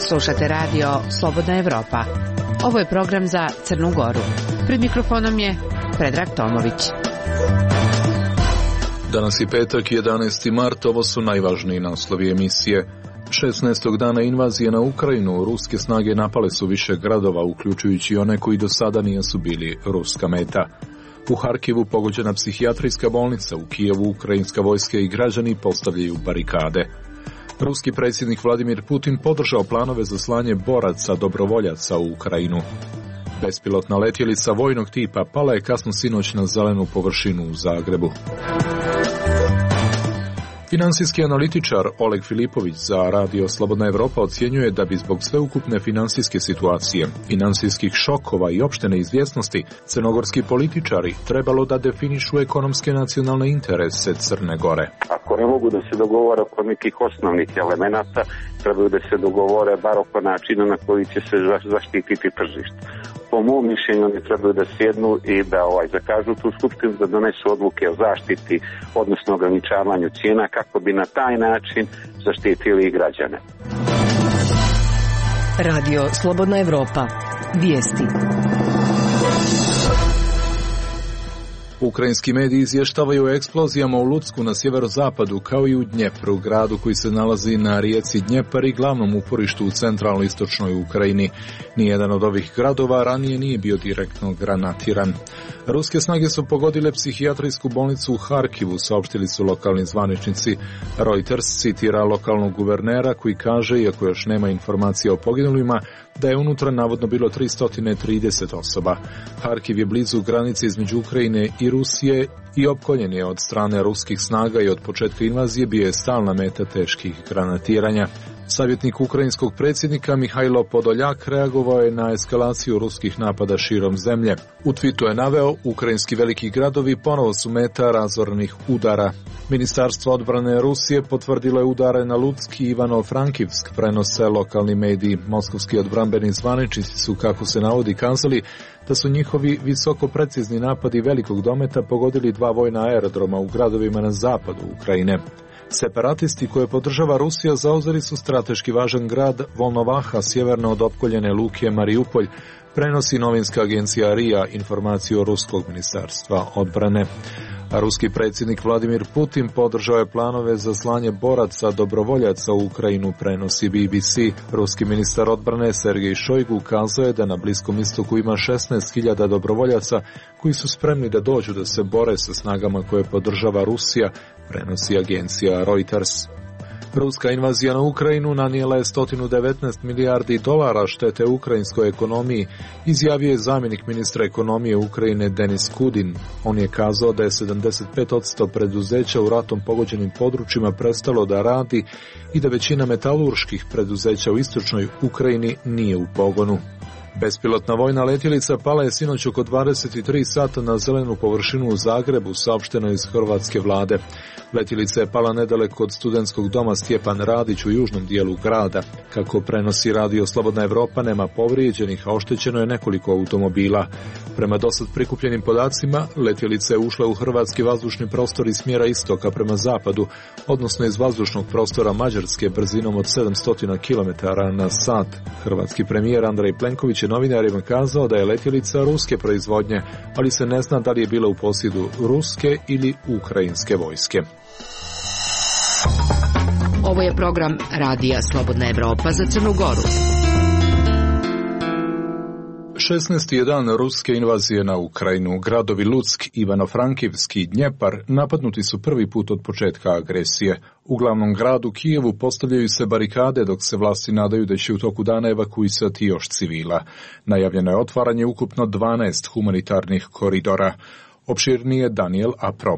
Slušate radio Slobodna Evropa. Ovo je program za Crnu Goru. Pred mikrofonom je Predrag Tomović. Danas je petak, 11. mart, ovo su najvažniji naslovi emisije. 16. dana invazije na Ukrajinu, ruske snage napale su više gradova, uključujući one koji do sada nisu bili ruska meta. U Harkivu pogođena psihijatrijska bolnica, u Kijevu ukrajinska vojska i građani postavljaju barikade. Ruski predsjednik Vladimir Putin podržao planove za slanje boraca dobrovoljaca u Ukrajinu. Bespilotna letjelica vojnog tipa pala je kasno sinoć na zelenu površinu u Zagrebu. Finansijski analitičar Oleg Filipović za radio Slobodna Evropa ocjenjuje da bi zbog sveukupne finansijske situacije, finansijskih šokova i opšte neizvjesnosti crnogorski političari trebalo da definišu ekonomske nacionalne interese Crne Gore. Ako ne mogu da se dogovore oko nekih osnovnih elemenata, trebaju da se dogovore bar oko načina na koji će se zaštititi tržište. Po mom mišljenju oni trebaju da sjednu i da zakažu tu skupštinu, da donesu odluke o zaštiti, odnosno ograničavanju cijena, kako bi na taj način zaštitili i građane. Radio Slobodna Evropa. Vijesti. Ukrajinski mediji izvještavaju o eksplozijama u Lucku na sjeverozapadu, kao i u Dnjepru, gradu koji se nalazi na rijeci Dnjepar i glavnom uporištu u centralno-istočnoj Ukrajini. Nijedan od ovih gradova ranije nije bio direktno granatiran. Ruske snage su pogodile psihijatrijsku bolnicu u Harkivu, saopštili su lokalni zvaničnici. Reuters citira lokalnog guvernera koji kaže, iako još nema informacija o poginulima, da je unutra navodno bilo 330 osoba. Harkiv je blizu granice između Ukrajine i Rusije i opkoljen je od strane ruskih snaga i od početka invazije bio je stalna meta teških granatiranja. Savjetnik ukrajinskog predsjednika Mihajlo Podoljak reagovao je na eskalaciju ruskih napada širom zemlje. U twitu je naveo, ukrajinski veliki gradovi ponovo su meta razornih udara. Ministarstvo odbrane Rusije potvrdilo je udare na Lucki i Ivano-Frankivsk, prenose lokalni mediji. Moskovski odbrambeni zvaničnici su, kako se navodi, kazali da su njihovi visoko precizni napadi velikog dometa pogodili 2 vojna aerodroma u gradovima na zapadu Ukrajine. Separatisti koje podržava Rusija zauzeli su strateški važan grad Volnovaha, sjeverno od opkoljene luke Mariupolj, prenosi novinska agencija RIA informaciju Ruskog ministarstva odbrane. A ruski predsjednik Vladimir Putin podržao je planove za slanje boraca dobrovoljaca u Ukrajinu, prenosi BBC. Ruski ministar odbrane Sergej Šojgu ukazao je da na Bliskom istoku ima 16.000 dobrovoljaca koji su spremni da dođu da se bore sa snagama koje podržava Rusija, prenosi agencija Reuters. Ruska invazija na Ukrajinu nanijela je 119 milijardi dolara štete ukrajinskoj ekonomiji, izjavio je zamjenik ministra ekonomije Ukrajine Denis Kudin. On je kazao da je 75% preduzeća u ratom pogođenim područjima prestalo da radi i da većina metalurških preduzeća u istočnoj Ukrajini nije u pogonu. Bespilotna vojna letjelica pala je sinoć oko 23 sata na zelenu površinu u Zagrebu, saopšteno iz hrvatske vlade. Letjelica je pala nedaleko od studentskog doma Stjepan Radić u južnom dijelu grada. Kako prenosi radio Slobodna Evropa, nema povrijeđenih, a oštećeno je nekoliko automobila. Prema dosad prikupljenim podacima, letjelica je ušla u hrvatski vazdušni prostor iz smjera istoka prema zapadu, odnosno iz vazdušnog prostora Mađarske brzinom od 700 km na sat. Hrvatski premijer Andrej Plenković je novinarima kazao da je letjelica ruske proizvodnje, ali se ne zna da li je bila u posjedu ruske ili ukrajinske vojske. Ovo je program Radija Slobodna Evropa za Crnu Goru. 16. je dan ruske invazije na Ukrajinu. Gradovi Luck, Ivano-Frankivsk i Dnjepar napadnuti su prvi put od početka agresije. U glavnom gradu Kijevu postavljaju se barikade dok se vlasti nadaju da će u toku dana evakuisati još civila. Najavljeno je otvaranje ukupno 12 humanitarnih koridora. Opširnije Daniel Apro.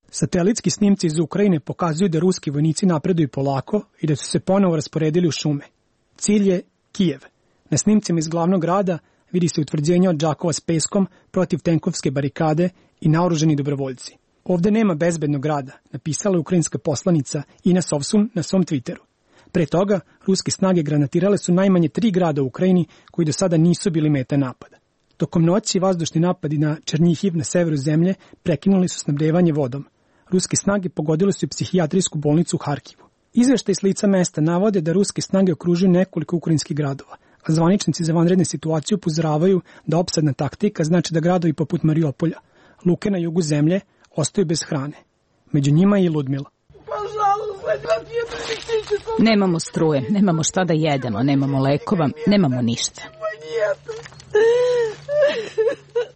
Satelitski snimci iz Ukrajine pokazuju da ruski vojnici napreduju polako i da su se ponovo rasporedili u šume. Cilj je Kijev. Na snimcima iz glavnog grada vidi se utvrđenje od džakova s peskom, protivtenkovske barikade i naoružani dobrovoljci. Ovde nema bezbednog grada, napisala je ukrajinska poslanica Ina Sovsun na svom Twitteru. Pre toga, ruske snage granatirale su najmanje 3 grada u Ukrajini koji do sada nisu bili meta napada. Tokom noći vazdušni napadi na Černjihiv na severu zemlje prekinuli su snabdevanje vodom. ruske snage pogodile su i psihijatrijsku bolnicu u Harkivu. Izveštaji s lica mesta navode da ruske snage okružuju nekoliko ukrajinskih gradova, a zvaničnici za vanredne situacije upozoravaju da opsadna taktika znači da gradovi poput Mariupolja, luke na jugu zemlje, ostaju bez hrane. Među njima je i Ludmila. Nemamo struje, nemamo šta da jedemo, nemamo lekova, nemamo ništa.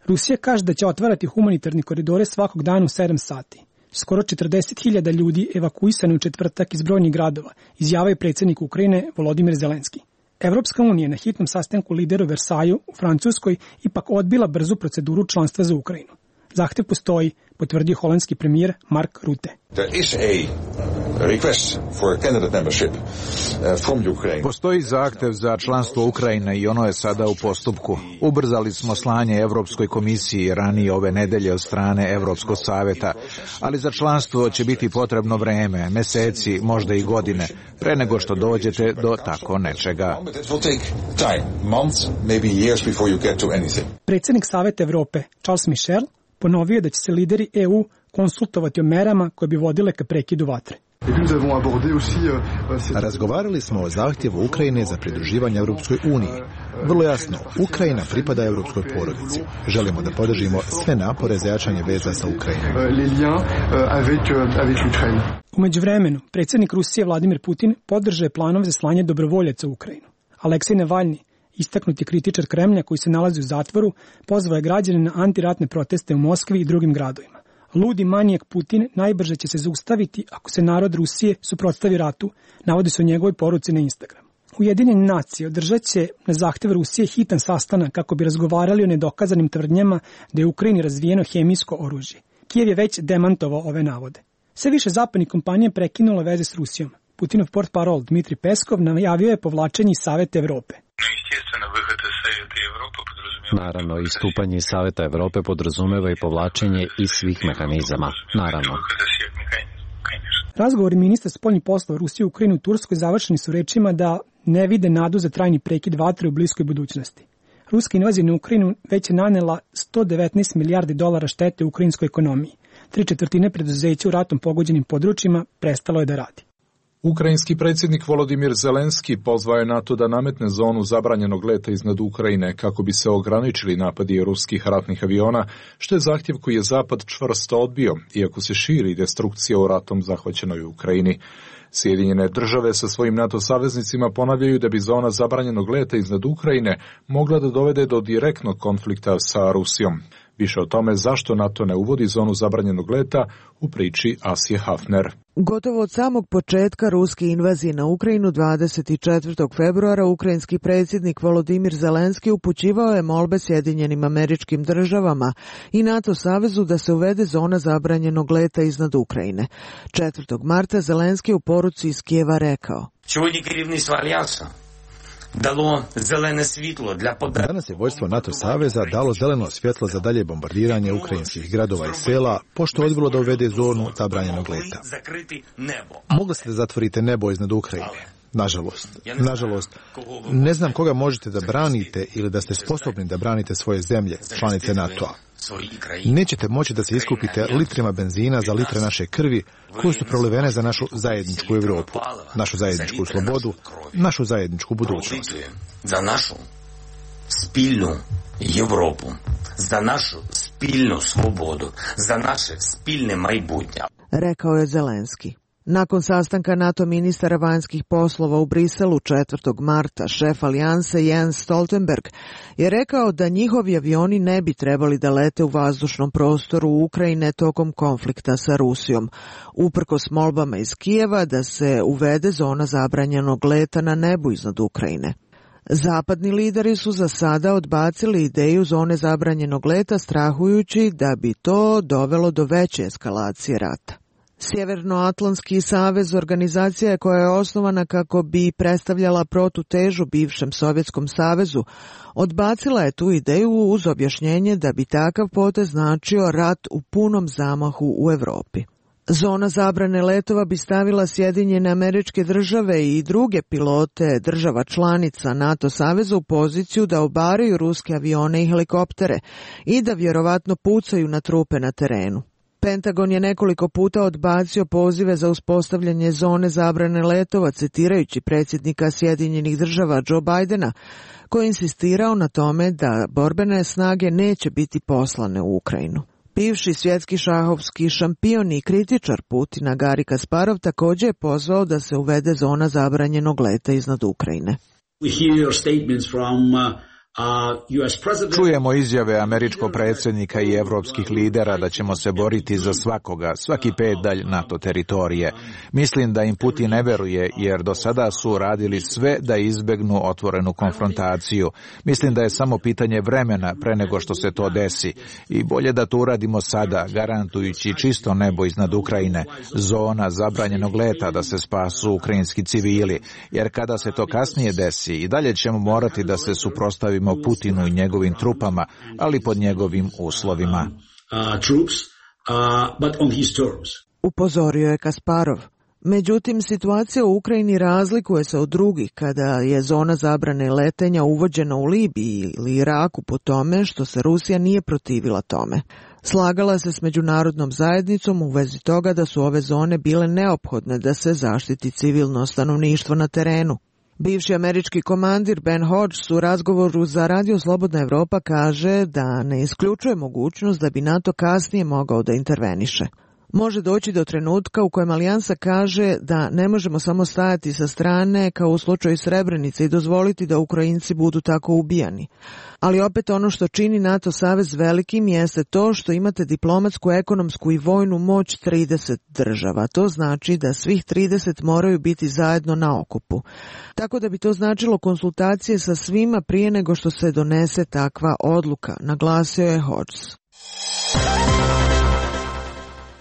Rusija kaže da će otvarati humanitarni koridore svakog dana u 7 sati. Skoro 40.000 ljudi evakuisani u četvrtak iz brojnih gradova, izjavio je predsjednik Ukrajine Volodimir Zelenski. Evropska unija na hitnom sastanku lidera u Versaju u Francuskoj ipak odbila brzu proceduru članstva za Ukrajinu. Zahtev postoji, potvrdio holandski premijer Mark Rutte. Postoji zahtev za članstvo Ukrajine i ono je sada u postupku. Ubrzali smo slanje Evropskoj komisiji ranije ove nedelje od strane Evropskog savjeta, ali za članstvo će biti potrebno vreme, meseci, možda i godine, pre nego što dođete do tako nečega. Predsjednik Saveta Evrope Charles Michel ponovio da će se lideri EU konsultovati o merama koje bi vodile ka prekidu vatre. Razgovarali smo o zahtjevu Ukrajine za pridruživanje Europskoj uniji. Vrlo jasno, Ukrajina pripada europskoj porodici. Želimo da podržimo sve napore za jačanje veza sa Ukrajinom. U međuvremenu, predsjednik Rusije Vladimir Putin podržao je planove za slanje dobrovoljaca u Ukrajinu. Aleksej Navalni, istaknuti kritičar Kremlja koji se nalazi u zatvoru, pozvao je građane na antiratne proteste u Moskvi i drugim gradovima. Ludi manijak Putin najbrže će se zaustaviti ako se narod Rusije suprotstavi ratu, navodi se u njegovoj poruci na Instagramu. Ujedinjene nacije održat će na zahtev Rusije hitan sastanak kako bi razgovarali o nedokazanim tvrdnjama da je u Ukrajini razvijeno hemijsko oružje. Kijev je već demantovao ove navode. Sve više zapadnih kompanija prekinulo veze s Rusijom. Putinov portparol Dmitri Peskov najavio je povlačenje iz Saveta Evrope. Naravno, istupanje iz Saveta Evrope podrazumeva i povlačenje iz svih mehanizama. Naravno. Razgovori ministra spoljnih poslova Rusije u Ukrajini u Turskoj završeni su rečima da ne vide nadu za trajni prekid vatre u bliskoj budućnosti. Ruska invazija na Ukrajinu već je nanela $119 milijardi štete u ukrajinskoj ekonomiji. 3/4 preduzeća u ratom pogođenim područjima prestalo je da radi. Ukrajinski predsjednik Volodimir Zelenski pozvao je NATO da nametne zonu zabranjenog leta iznad Ukrajine kako bi se ograničili napadi ruskih ratnih aviona, što je zahtjev koji je Zapad čvrsto odbio, iako se širi destrukcija u ratom zahvaćenoj Ukrajini. Sjedinjene države sa svojim NATO saveznicima ponavljaju da bi zona zabranjenog leta iznad Ukrajine mogla da dovede do direktnog konflikta sa Rusijom. Više o tome zašto NATO ne uvodi zonu zabranjenog leta u priči Asije Hafner. Gotovo od samog početka ruske invazije na Ukrajinu 24. februara ukrajinski predsjednik Volodimir Zelenski upućivao je molbe Sjedinjenim Američkim Državama i NATO savezu da se uvede zona zabranjenog leta iznad Ukrajine. 4. marta Zelenski u poruci iz Kijeva rekao: Danas je vojstvo NATO saveza dalo zeleno svjetlo za dalje bombardiranje ukrajinskih gradova i sela, pošto je odbilo da uvede zonu zabranjenog leta. Mogli ste da zatvorite nebo iznad Ukrajine. Nažalost, ne znam koga možete da branite ili da ste sposobni da branite svoje zemlje, članice NATO-a. Nećete moći da se iskupite litrima benzina za litre naše krvi koje su prolivene za našu zajedničku Evropu, našu zajedničku slobodu, našu zajedničku budućnost. Za našu spilnu Evropu, za našu spilnu slobodu, za naše spilne majbutnje, rekao je Zelenski. Nakon sastanka NATO ministara vanjskih poslova u Briselu 4. marta, šef alijanse Jens Stoltenberg je rekao da njihovi avioni ne bi trebali da lete u vazdušnom prostoru Ukrajine tokom konflikta sa Rusijom, uprkos molbama iz Kijeva da se uvede zona zabranjenog leta na nebu iznad Ukrajine. Zapadni lideri su za sada odbacili ideju zone zabranjenog leta strahujući da bi to dovelo do veće eskalacije rata. Sjevernoatlantski savez organizacija je koja je osnovana kako bi predstavljala protutežu bivšem Sovjetskom savezu, odbacila je tu ideju uz objašnjenje da bi takav potez značio rat u punom zamahu u Europi. Zona zabrane letova bi stavila Sjedinjene Američke Države i druge pilote država članica NATO saveza u poziciju da obaraju ruske avione i helikoptere i da vjerovatno pucaju na trupe na terenu. Pentagon je nekoliko puta odbacio pozive za uspostavljanje zone zabrane letova, citirajući predsjednika Sjedinjenih Država Joe Bidena, koji je insistirao na tome da borbene snage neće biti poslane u Ukrajinu. Bivši svjetski šahovski šampion i kritičar Putina Gari Kasparov također je pozvao da se uvede zona zabranjenog leta iznad Ukrajine. Čujemo izjave američkog predsjednika i evropskih lidera da ćemo se boriti za svakoga, svaki pedalj NATO teritorije. Mislim da im Putin ne veruje, jer do sada su radili sve da izbegnu otvorenu konfrontaciju. Mislim da je samo pitanje vremena pre nego što se to desi. I bolje da to uradimo sada, garantujući čisto nebo iznad Ukrajine, zona zabranjenog leta da se spasu ukrajinski civili, jer kada se to kasnije desi, i dalje ćemo morati da se suprotstavimo Putinu i njegovim trupama, ali pod njegovim uslovima. Upozorio je Kasparov. Međutim, situacija u Ukrajini razlikuje se od drugih kada je zona zabrane letenja uvođena u Libiji ili Iraku po tome što se Rusija nije protivila tome. Slagala se s međunarodnom zajednicom u vezi toga da su ove zone bile neophodne da se zaštiti civilno stanovništvo na terenu. Bivši američki komandir Ben Hodges u razgovoru za Radio Slobodna Evropa kaže da ne isključuje mogućnost da bi NATO kasnije mogao da interveniše. Može doći do trenutka u kojem alijansa kaže da ne možemo samo stajati sa strane kao u slučaju Srebrenice i dozvoliti da Ukrajinci budu tako ubijani. Ali opet ono što čini NATO savez velikim jeste to što imate diplomatsku, ekonomsku i vojnu moć 30 država. To znači da svih 30 moraju biti zajedno na okupu. Tako da bi to značilo konsultacije sa svima prije nego što se donese takva odluka, naglasio je Hodges.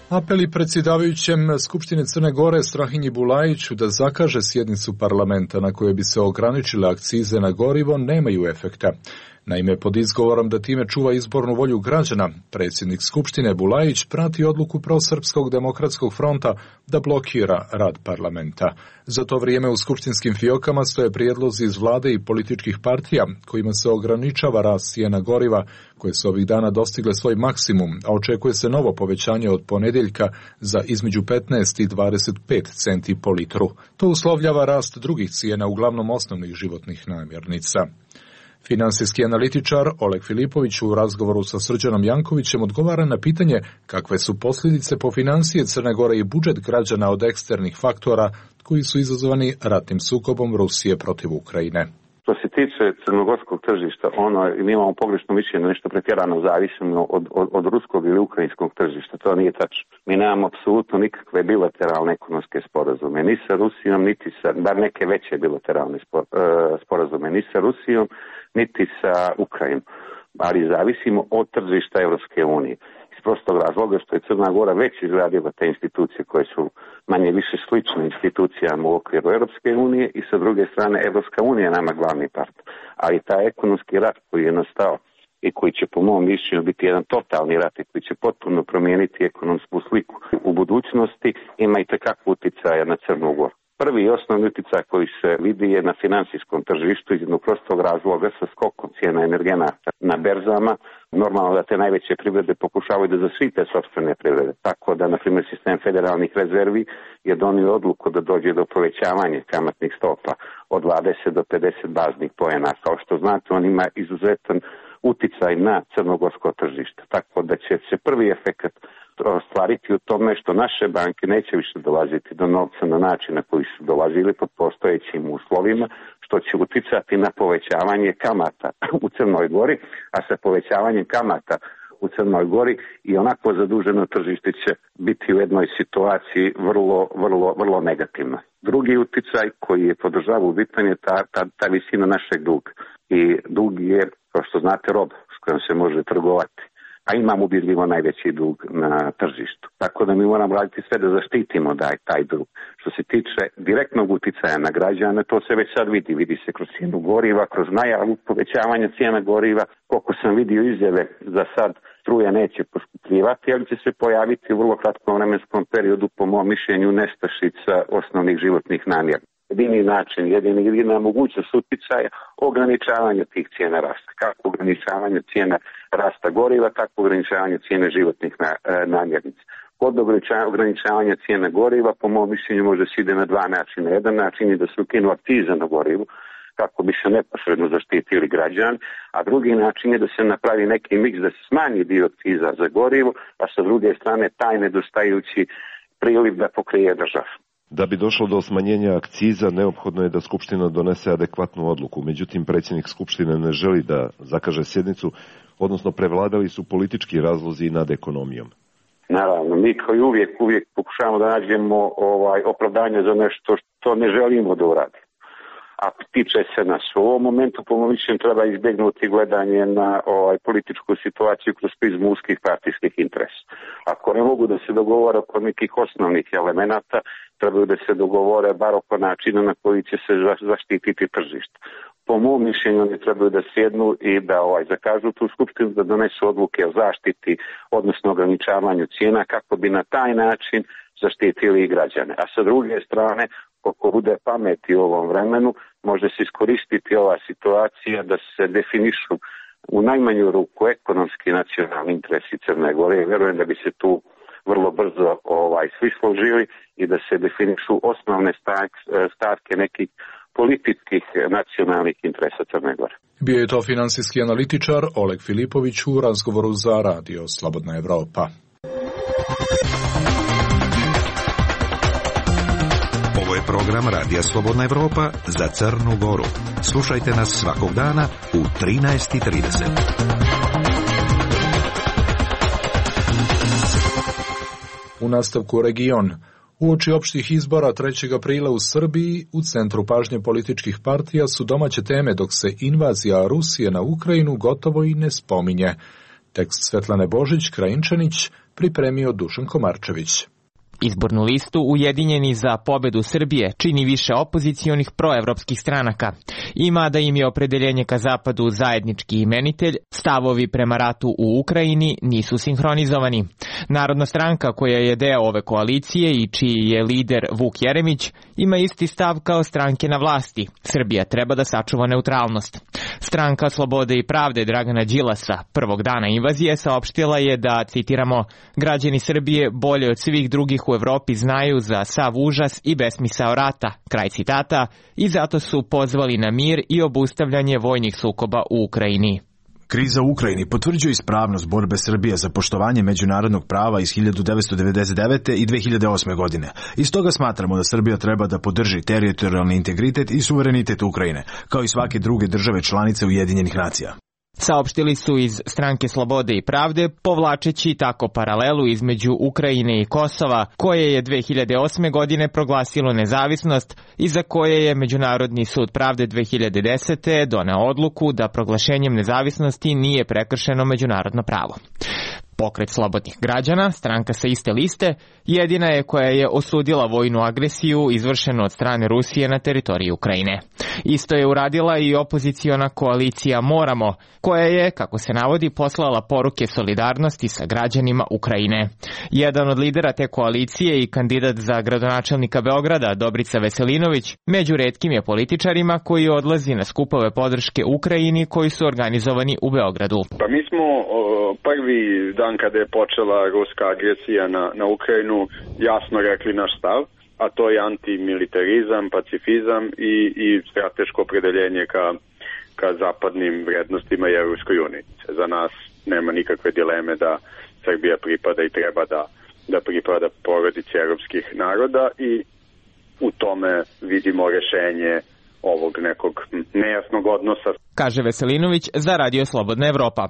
Apeli predsjedavajućem Skupštine Crne Gore Strahinji Bulajiću da zakaže sjednicu parlamenta na kojoj bi se ograničile akcize na gorivo nemaju efekta. Naime, pod izgovorom da time čuva izbornu volju građana, predsjednik Skupštine Bulajić prati odluku Prosrpskog demokratskog fronta da blokira rad parlamenta. Za to vrijeme u skupštinskim fiokama stoje prijedlozi iz vlade i političkih partija kojima se ograničava rast cijena goriva koje su ovih dana dostigle svoj maksimum, a očekuje se novo povećanje od ponedjeljka za između 15 i 25 centi po litru. To uslovljava rast drugih cijena, uglavnom osnovnih životnih namirnica. Finansijski analitičar Oleg Filipović u razgovoru sa Srđanom Jankovićem odgovara na pitanje kakve su posljedice po financije Crne Gore i budžet građana od eksternih faktora koji su izazvani ratnim sukobom Rusije protiv Ukrajine. Što se tiče crnogorskog tržišta, mi imamo pogrešno mišljenje, nešto pretjerano zavisno od ruskog ili ukrajinskog tržišta. To nije tačno. Mi nemamo apsolutno nikakve bilateralne ekonomske sporazume, ni sa Rusijom, niti sa, bar neke veće bilateralne sporazume, ni sa Rusijom, niti sa Ukrajinom. Ali zavisimo od tržišta Europske unije. Iz prostog razloga što je Crna Gora već izgradila te institucije koje su manje više slične institucijama u okviru Europske unije i sa druge strane Europska unija je nama glavni partner. Ali taj ekonomski rat koji je nastao i koji će po mom mišljenju biti jedan totalni rat i koji će potpuno promijeniti ekonomsku sliku u budućnosti ima i tekako uticaja na Crnu Goru. Prvi i osnovni utjecaj koji se vidi je na financijskom tržištu iz jednog prostog razloga sa skokom cijena energenata na berzama. Normalno da te najveće privrede pokušavaju da zaštite sopstvene privrede. Tako da, na primjer, sistem federalnih rezervi je donio odluku da dođe do povećavanja kamatnih stopa od 20 do 50 baznih poena. Kao što znate, on ima izuzetan uticaj na crnogorsko tržište. Tako da će se prvi efekt ostvariti u tome što naše banke neće više dolaziti do novca na način na koji su dolazili pod postojećim uslovima, što će uticati na povećavanje kamata u Crnoj Gori, a sa povećavanjem kamata u Crnoj Gori i onako zaduženo tržište će biti u jednoj situaciji vrlo negativna. Drugi uticaj koji je podržavao bitan je ta visina našeg duga. I dug je, kao što znate, roba s kojom se može trgovati. A imamo ubjedljivo najveći dug na tržištu. Tako da mi moramo raditi sve da zaštitimo taj dug. Što se tiče direktnog uticaja na građane, to se već sad vidi. Vidi se kroz cijenu goriva, kroz najavu povećavanja cijena goriva. Koliko sam vidio izjave, za sad struja neće poskupljivati, ali će se pojaviti u vrlo kratkom vremenskom periodu, po mom mišljenju, nestašica osnovnih životnih namirnica. jedini način, jedina mogućnost uticaja ograničavanja tih cijena rasta. Kako ograničavanje cijena rasta goriva, tako ograničavanje cijene životnih namirnica. Kod ograničavanja cijena goriva, po mom mišljenju, može se ide na dva načina. Jedan način je da se ukinu akciza na gorivu, kako bi se neposredno zaštitili građani, a drugi način je da se napravi neki miks da se smanji dio akciza za gorivo, a sa druge strane taj nedostajući priliv da pokrije država. Da bi došlo do smanjenja akciza, neophodno je da Skupština donese adekvatnu odluku. Međutim, predsjednik Skupštine ne želi da zakaže sjednicu, odnosno prevladali su politički razlozi nad ekonomijom. Naravno, mi kao i uvijek pokušavamo da nađemo opravdanje za nešto što ne želimo da uradimo. A tiče se nas u ovom momentu, po mom mišljenju, treba izbjegnuti gledanje na političku situaciju kroz prizmu uskih partijskih interesa. Ako ne mogu da se dogovore oko nekih osnovnih elemenata, trebaju da se dogovore bar oko načina na koji će se zaštititi tržište. Po mom mišljenju oni trebaju da sjednu i da zakažu tu skupštinu, da donesu odluke o zaštiti, odnosno ograničavanju cijena, kako bi na taj način zaštitili i građane. A sa druge strane, ako bude pameti u ovom vremenu, može se iskoristiti ova situacija da se definišu u najmanju ruku ekonomski nacionalni interesi Crne Gore. Vjerujem da bi se tu vrlo brzo svi složili i da se definišu osnovne stavke nekih političkih nacionalnih interesa Crne Gore. Bio je to finansijski analitičar Oleg Filipović u razgovoru za radio Slobodna Evropa. Ovo je program Radija Slobodna Evropa za Crnu Goru. Slušajte nas svakog dana u 13:30. U nastavku region. Uoči opštih izbora 3. aprila u Srbiji, u centru pažnje političkih partija su domaće teme, dok se invazija Rusije na Ukrajinu gotovo i ne spominje. Tekst Svetlane Božić-Krajinčanić pripremio Dušan Komarčević. Izbornu listu Ujedinjeni za pobedu Srbije čini više opozicionih proevropskih stranaka. Ima da im je opredeljenje ka zapadu zajednički imenitelj, stavovi prema ratu u Ukrajini nisu sinhronizovani. Narodna stranka koja je deo ove koalicije i čiji je lider Vuk Jeremić ima isti stav kao stranke na vlasti. Srbija treba da sačuva neutralnost. Stranka Slobode i pravde Dragana Đilasa prvog dana invazije saopštila je da, citiramo, građani Srbije bolje od svih drugih u Evropi znaju za sav užas i besmisao rata, kraj citata, i zato su pozvali na mir i obustavljanje vojnih sukoba u Ukrajini. Kriza u Ukrajini potvrđuje ispravnost borbe Srbije za poštovanje međunarodnog prava iz 1999. i 2008. godine. I stoga smatramo da Srbija treba da podrži teritorijalni integritet i suverenitet Ukrajine, kao i svake druge države članice Ujedinjenih nacija. Saopštili su iz stranke Slobode i pravde, povlačeći tako paralelu između Ukrajine i Kosova, koje je 2008. godine proglasilo nezavisnost i za koje je Međunarodni sud pravde 2010. doneo odluku da proglašenjem nezavisnosti nije prekršeno međunarodno pravo. Pokret slobodnih građana, stranka sa iste liste, jedina je koja je osudila vojnu agresiju izvršenu od strane Rusije na teritoriji Ukrajine. Isto je uradila i opoziciona koalicija Moramo, koja je, kako se navodi, poslala poruke solidarnosti sa građanima Ukrajine. Jedan od lidera te koalicije i kandidat za gradonačelnika Beograda, Dobrica Veselinović, među retkim je političarima koji odlazi na skupove podrške Ukrajini koji su organizovani u Beogradu. Pa mi smo prvi dan kada je počela ruska agresija na Ukrajinu jasno rekli naš stav, a to je antimilitarizam, pacifizam i strateško opredeljenje ka zapadnim vrednostima i Evropskoj uniji. Za nas nema nikakve dileme da Srbija pripada i treba da pripada porodici evropskih naroda i u tome vidimo rešenje ovog nekog nejasnog odnosa. Kaže Veselinović za Radio Slobodna Evropa.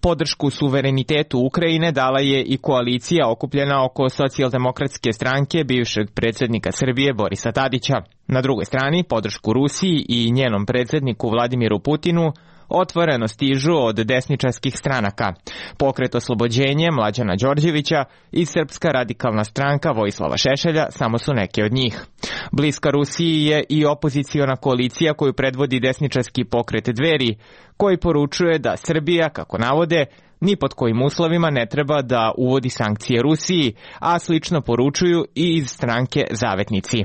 Podršku suverenitetu Ukrajine dala je i koalicija okupljena oko socijaldemokratske stranke bivšeg predsjednika Srbije Borisa Tadića. Na drugoj strani podršku Rusiji i njenom predsjedniku Vladimiru Putinu otvoreno stižu od desničarskih stranaka. Pokret oslobođenje Mlađana Đorđevića i Srpska radikalna stranka Vojislava Šešelja samo su neke od njih. Bliska Rusiji je i opoziciona koalicija koju predvodi desničarski pokret Dveri, koji poručuje da Srbija, kako navode, ni pod kojim uslovima ne treba da uvodi sankcije Rusiji, a slično poručuju i iz stranke Zavetnici.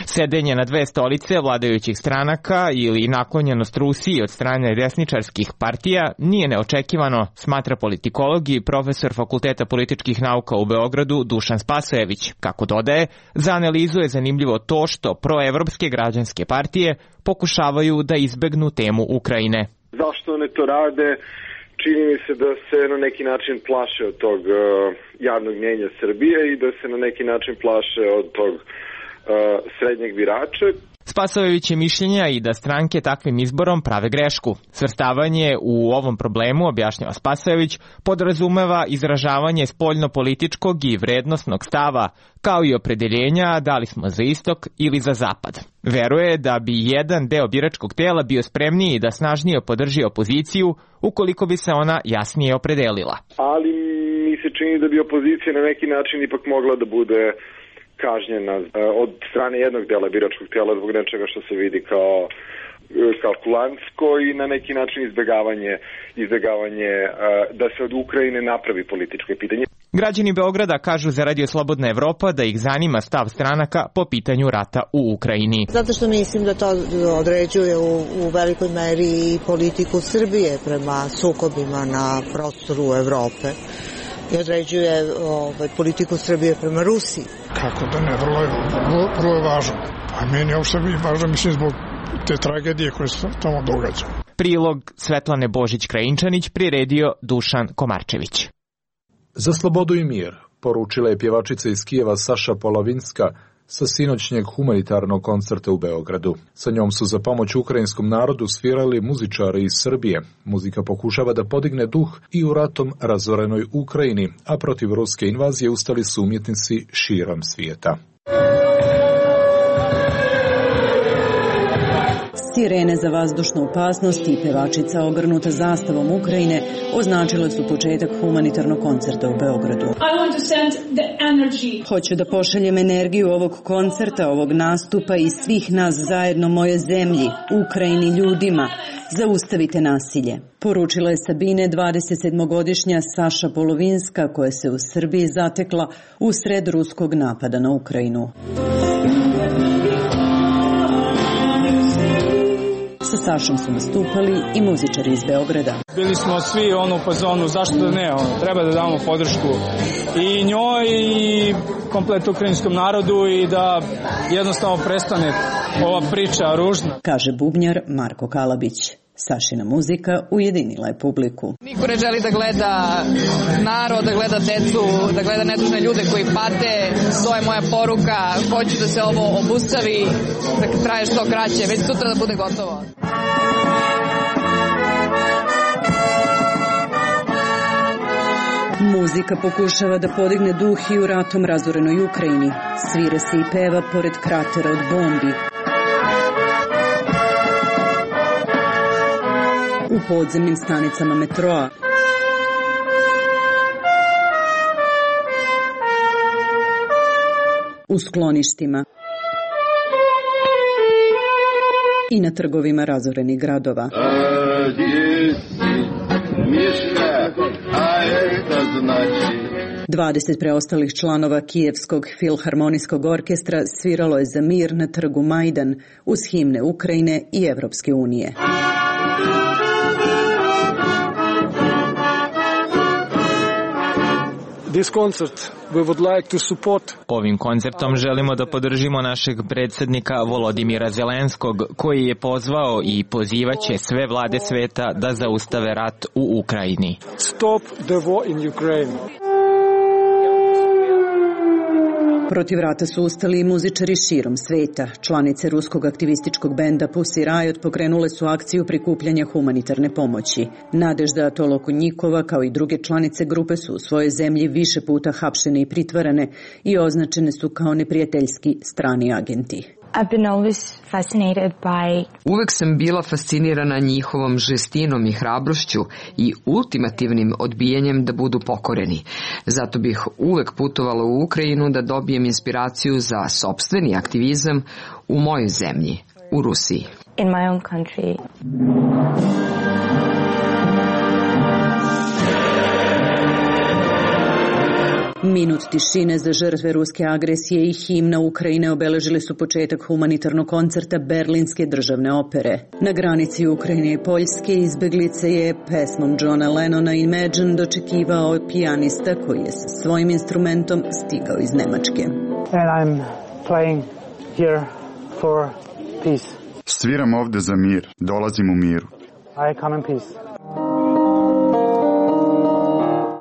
Sedenje na dve stolice vladajućih stranaka ili naklonjenost Rusiji od strane desničarskih partija nije neočekivano, smatra politikolog i profesor Fakulteta političkih nauka u Beogradu Dušan Spasojević. Kako dodaje, za analizu je zanimljivo to što proevropske građanske partije pokušavaju da izbegnu temu Ukrajine. Zašto one to rade? Čini mi se da se na neki način plaše od tog javnog mnjenja Srbije i da se na neki način plaše od tog srednjeg birača. Spasojević je mišljenja i da stranke takvim izborom prave grešku. Svrstavanje u ovom problemu, objašnjava Spasojević, podrazumeva izražavanje spoljno-političkog i vrednosnog stava, kao i opredeljenja da li smo za istok ili za zapad. Veruje da bi jedan deo biračkog tela bio spremniji da snažnije podrži opoziciju ukoliko bi se ona jasnije opredelila. Ali mi se čini da bi opozicija na neki način ipak mogla da bude kažnjena od strane jednog dela biračkog tela zbog nečega što se vidi kao kalkulantsko i na neki način izbjegavanje da se od Ukrajine napravi političko pitanje. Građani Beograda kažu za Radio Slobodna Evropa da ih zanima stav stranaka po pitanju rata u Ukrajini. Zato što mislim da to određuje u velikoj meri i politiku Srbije prema sukobima na prostoru Evrope i određuje politiku Srbije prema Rusiji. Kako da ne, vrlo je važno. A meni je uopšte važno, mislim, zbog te tragedije koje se tamo događa. Prilog Svetlane Božić-Krajinčanić priredio Dušan Komarčević. Za slobodu i mir poručila je pjevačica iz Kijeva Saša Polovinska sa sinoćnjeg humanitarnog koncerta u Beogradu. Sa njom su za pomoć ukrajinskom narodu svirali muzičari iz Srbije. Muzika pokušava da podigne duh i u ratom razorenoj Ukrajini, a protiv ruske invazije ustali su umjetnici širom svijeta. Sirene za vazdušnu opasnost i pevačica ogrnuta zastavom Ukrajine označile su početak humanitarnog koncerta u Beogradu. Hoću da pošaljem energiju ovog koncerta, ovog nastupa i svih nas zajedno moje zemlji, Ukrajini, ljudima. Zaustavite nasilje. Poručila je Sabine 27-godišnja Saša Polovinska koja se u Srbiji zatekla usred ruskog napada na Ukrajinu. Sa Sašom su nastupali i muzičari iz Beograda. Bili smo svi u fazonu, zašto da ne, treba da damo podršku i njoj i komplet ukrajinskom narodu i da jednostavno prestane ova priča ružna. Kaže bubnjar Marko Kalabić. Sašina muzika ujedinila je publiku. Niko ne želi da gleda narod, da gleda decu, da gleda nedužne ljude koji pate. To je moja poruka. Hoću da se ovo obustavi, da traje što kraće, već sutra da bude gotovo. Muzika pokušava da podigne duh i u ratom razorenoj Ukrajini. Svira se i peva pored kratera od bombi. U podzemnim stanicama metroa. U skloništima. I na trgovima razorenih gradova. 20 preostalih članova Kijevskog filharmonijskog orkestra sviralo je za mir na trgu Majdan uz himne Ukrajine i Evropske unije. Ovim koncertom želimo da podržimo našeg predsjednika Volodimira Zelenskog, koji je pozvao i pozivaće sve vlade sveta da zaustave rat u Ukrajini. Stop the war in Ukraine. Protiv rata su ustali i muzičari širom sveta. Članice ruskog aktivističkog benda Pussy Riot pokrenule su akciju prikupljanja humanitarne pomoći. Nadežda Tolokonjikova kao i druge članice grupe su u svojoj zemlji više puta hapšene i pritvarane i označene su kao neprijateljski strani agenti. Uvek sam bila fascinirana njihovom žestinom i hrabrošću i ultimativnim odbijanjem da budu pokoreni. Zato bih uvek putovala u Ukrajinu da dobijem inspiraciju za sopstveni aktivizam u mojoj zemlji, u Rusiji. In my own country. Minut tišine za žrtve ruske agresije i himna Ukrajine obeležili su početak humanitarnog koncerta Berlinske državne opere. Na granici Ukrajine i Poljske izbeglice je pesmom Johna Lennona Imagine dočekivao pijanista koji je sa svojim instrumentom stigao iz Nemačke. And I'm playing here for peace. Sviram ovde za mir, dolazim u miru. I come in peace.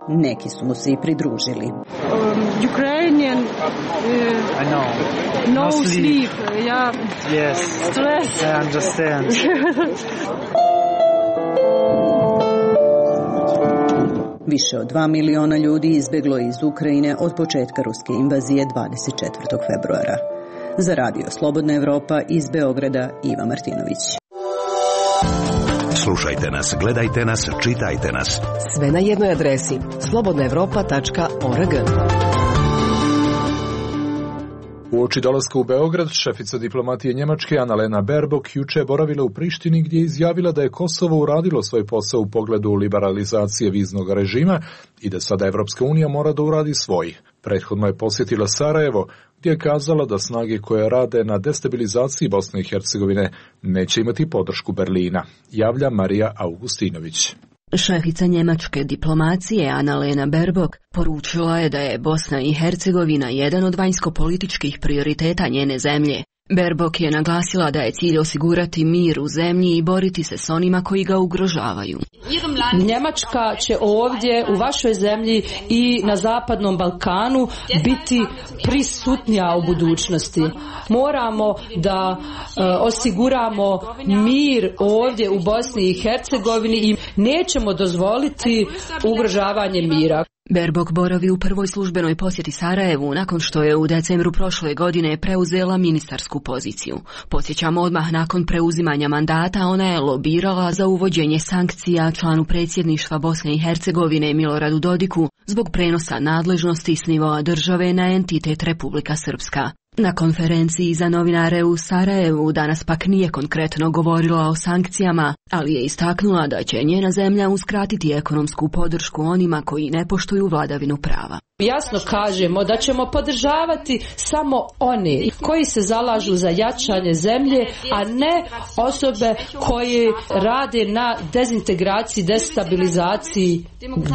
Neki su mu se i pridružili. Ukrainian I know. no sleep. Yeah. Yes. Stress. I understand. Više od 2 miliona ljudi izbeglo iz Ukrajine od početka ruske invazije 24. februara. Za Radio Slobodna Evropa iz Beograda, Iva Martinović. Slušajte nas, gledajte nas, čitajte nas. Sve na jednoj adresi slobodnaevropa.org. Uoči dolaska u Beograd, šefica diplomatije Njemačke Annalena Baerbock juče je boravila u Prištini gdje je izjavila da je Kosovo uradilo svoj posao u pogledu liberalizacije viznog režima i da sada Evropska unija mora da uradi svoj. Prethodno je posjetila Sarajevo, gdje je kazala da snage koje rade na destabilizaciji Bosne i Hercegovine neće imati podršku Berlina. Javlja Marija Augustinović. Šefica njemačke diplomacije Annalena Baerbock poručila je da je Bosna i Hercegovina jedan od vanjsko-političkih prioriteta njene zemlje. Baerbock je naglasila da je cilj osigurati mir u zemlji i boriti se s onima koji ga ugrožavaju. Njemačka će ovdje u vašoj zemlji i na Zapadnom Balkanu biti prisutnija u budućnosti. Moramo da osiguramo mir ovdje u Bosni i Hercegovini i nećemo dozvoliti ugrožavanje mira. Baerbock boravi u prvoj službenoj posjeti Sarajevu nakon što je u decembru prošle godine preuzela ministarsku poziciju. Podsjećamo, odmah nakon preuzimanja mandata ona je lobirala za uvođenje sankcija članu predsjedništva Bosne i Hercegovine Miloradu Dodiku zbog prenosa nadležnosti s nivoa države na entitet Republika Srpska. Na konferenciji za novinare u Sarajevu danas pak nije konkretno govorila o sankcijama, ali je istaknula da će njena zemlja uskratiti ekonomsku podršku onima koji ne poštuju vladavinu prava. Jasno kažemo da ćemo podržavati samo one koji se zalažu za jačanje zemlje, a ne osobe koje rade na dezintegraciji, destabilizaciji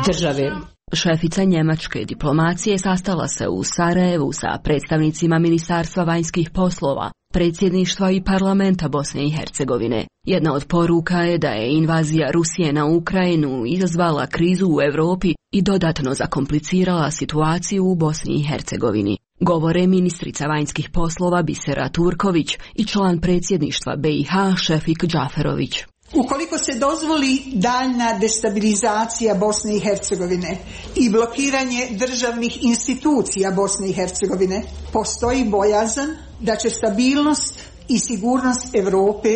države. Šefica njemačke diplomacije sastala se u Sarajevu sa predstavnicima Ministarstva vanjskih poslova, predsjedništva i parlamenta Bosne i Hercegovine. Jedna od poruka je da je invazija Rusije na Ukrajinu izazvala krizu u Europi i dodatno zakomplicirala situaciju u Bosni i Hercegovini. Govore ministrica vanjskih poslova Bisera Turković i član predsjedništva BiH Šefik Džaferović. Ukoliko se dozvoli daljna destabilizacija Bosne i Hercegovine i blokiranje državnih institucija Bosne i Hercegovine, postoji bojazan da će stabilnost i sigurnost Europe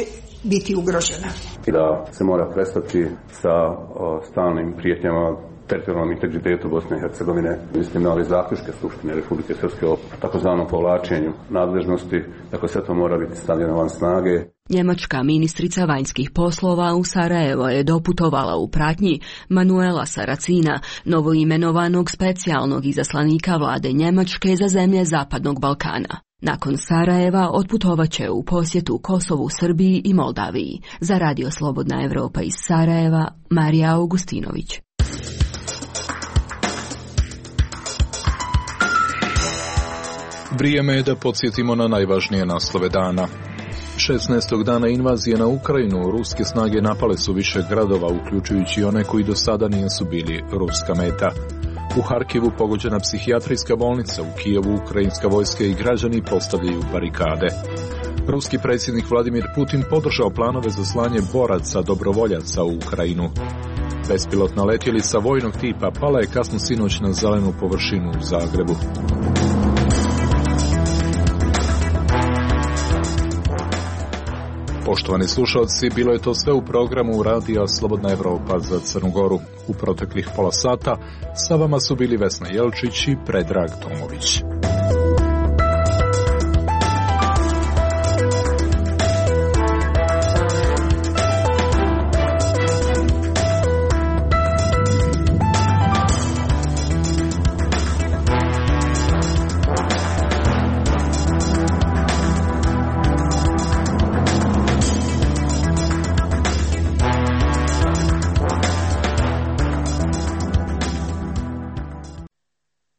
biti ugrožena. Da se mora prestati sa stalnim prijetnjama teritorijalnom integritetu Bosne i Hercegovine. Mislim na ove zaključke Skupštine Republike Srpske o takozvanom povlačenju nadležnosti, tako sve to mora biti stavljeno van snage. Njemačka ministrica vanjskih poslova u Sarajevo je doputovala u pratnji Manuela Saracina, novoimenovanog specijalnog izaslanika vlade Njemačke za zemlje Zapadnog Balkana. Nakon Sarajeva otputovaće u posjetu Kosovu, Srbiji i Moldaviji. Za Radio Slobodna Evropa iz Sarajeva, Marija Augustinović. Vrijeme je da podsjetimo na najvažnije naslove dana. 16. dana invazije na Ukrajinu, ruske snage napale su više gradova, uključujući one koji do sada nisu bili ruska meta. U Harkivu pogođena psihijatrijska bolnica, u Kijevu ukrajinska vojska i građani postavljaju barikade. Ruski predsjednik Vladimir Putin podržao planove za slanje boraca dobrovoljaca u Ukrajinu. Bespilotna letjelica vojnog tipa pala je kasno sinoć na zelenu površinu u Zagrebu. Poštovani slušalci, bilo je to sve u programu Radija Slobodna Evropa za Crnu Goru. U proteklih pola sata sa vama su bili Vesna Jelčić i Predrag Tomović.